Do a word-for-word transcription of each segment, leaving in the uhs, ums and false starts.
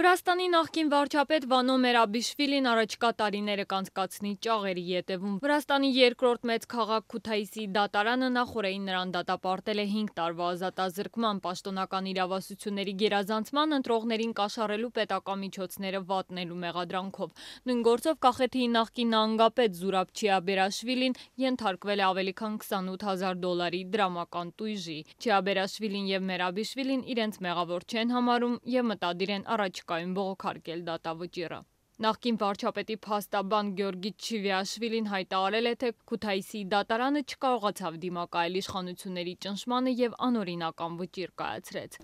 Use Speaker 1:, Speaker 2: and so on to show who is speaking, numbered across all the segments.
Speaker 1: Վրաստանի նախկին վարչապետ Վանո Մերաբիշվիլին առաջկա տարիները կանցկացնի ճաղերի ետևում։ Վրաստանի երկրորդ մեծ քաղաք Քութայիսի դատարանը նախօրեին նրան դատապարտել է հինգ տարվա ազատազրկման, պաշտոնական իրավասությունների գերազանցման, ընտրողներին կաշառելու պետական միջոցները վատնելու մեղադրանքով։ Նույն գործով Կախեթիի նախկին նահանգապետ Զուրաբ Չիաբերաշվիլին ենթարկվել է ավելի քան քսանութ հազար դոլարի դրամական տույժի։ Չիաբերաշվիլին և Մերաբիշվիլին իրենց մեղավոր չեն համարում և մտադիր են առաջիկայում բողոքարկել դատավճիռը։ Նախկին վարչապետի փաստաբան Գյորգի Չիվիաշվիլին հայտարարել է, թե Քութայիսի դատարանը չկարողացավ դիմակայել իշխանությունների ճնշմանը և անօրինական վճիռ կայացրեց։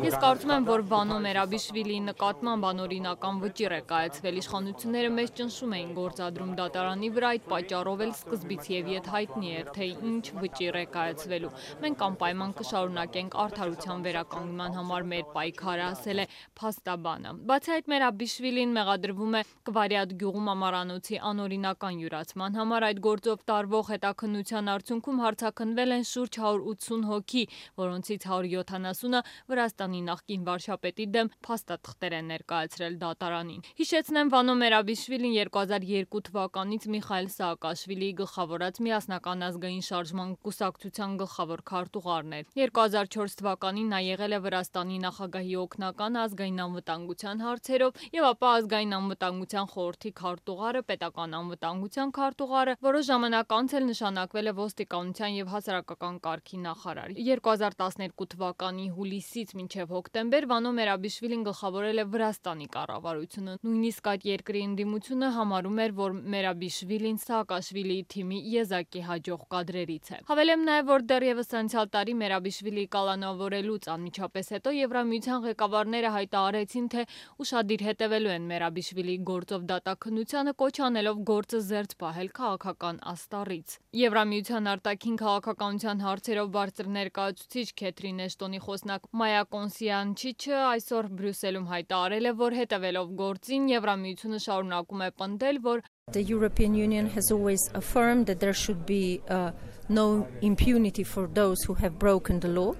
Speaker 1: Ես կարծում եմ, որ Վանո Մերաբիշվիլիի նկատմամբ անօրինական վճիռ է կայացվել, իշխանությունները մեզ ճնշում էին գործադրում դատարանի վրա, այդ պատճառով էլ սկզբից և ետ հայտնի էր, թե ինչ վճիռ է կայացվելու։ Մենք անպայման կշարունակենք արդարության վերականգնման համար մեր պայքարը, ասել է փաստաբանը։ Բացի այդ, Մերաբիշվիլին մեղադրվում է Կվարյատ գյուղում ամառանոցի անօրինական յուրացման համար։ Այդ գործով տարվող հետաքննության արդյունքում հարցաքննվել են շուրջ հարյուր ութսուն հոգի, որոնցից հարյուր յոթանասունը Վրաստանի նախկին վարչապետի դեմ փաստաթղթեր են ներկայացրել դատարանին։ Հիշեցնեմ, Վանո Մերաբիշվիլին երկու հազար երկու թվականից Միխայիլ Սաակաշվիլիի գլխավորած Միասնական ազգային շարժման կուսակցության գլխավոր քարտուղարն էր։ երկու հազար չորս թվականին նա եղել է Վրաստանի նախագահի օգնական ազգային անվտանգության հարցերով և ապա ազգային անվտանգության խորհրդի քարտուղարը, պետական անվտանգության քարտուղարը, որոշ ժամանակ անց էլ նշանակվել է ոստիկանության և հասարակական կարգի նախարար։ երկու հազար տասներկու թվականի հուլիսից մինչև հոկտեմբեր Վանո Մերաբիշվիլին գլխավորել է Վրաստանի կառավարությունը։ Նույնիսկ այդ երկրի ընդդիմությունը համարում էր, որ Մերաբիշվիլին Սաակաշվիլիի թիմի եզակի հաջող կադրերից է։ Հավելեմ նաև, որ դեռևս անցյալ տարի Մերաբիշվիլիի կալանավորելուց անմիջապես հետո Եվրամիության ղեկավարները հայտարարեցին, թե ուշադիր հետևելու են Մերաբիշվիլիի գործով դատաքննությանը, կոչ անելով գործը զերծ պահել քաղաքական աստառից։ Եվրամիության արտաքին քաղաքականության հարցերով բարձր ներկայացուցիչ Քեթրին Էշտոնի խոսնակ Մայա Կոնսյանչիչը այսօր Բրյուսելում հայտարարել է, որ հետևելով գործին Եվրամիությունը շարունակում է պնդել, որ
Speaker 2: The European Union has always affirmed that there should be uh, no impunity for those who have broken the law,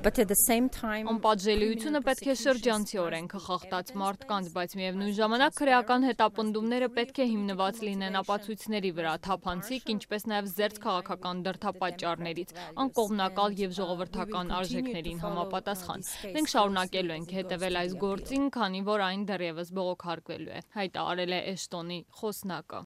Speaker 2: but at the same time
Speaker 1: Անպատժելիությունը պետք է շրջանցի օրենքը խախտած մարդկանց, բայց միևնույն ժամանակ քրեական հետապնդումները պետք է հիմնված լինեն ապացույցների վրա, թափանցիկ, ինչպես նաև զերծ քաղաքական դրդապատճառներից, անկողմնակալ և ժողովրդական արժեքներին համապատասխան։ Մենք շարունակելու ենք հետևել այս գործին, քանի որ այն դեռևս բողոքարկվելու է, հայտարարել է Էշտոնի խոսնակը։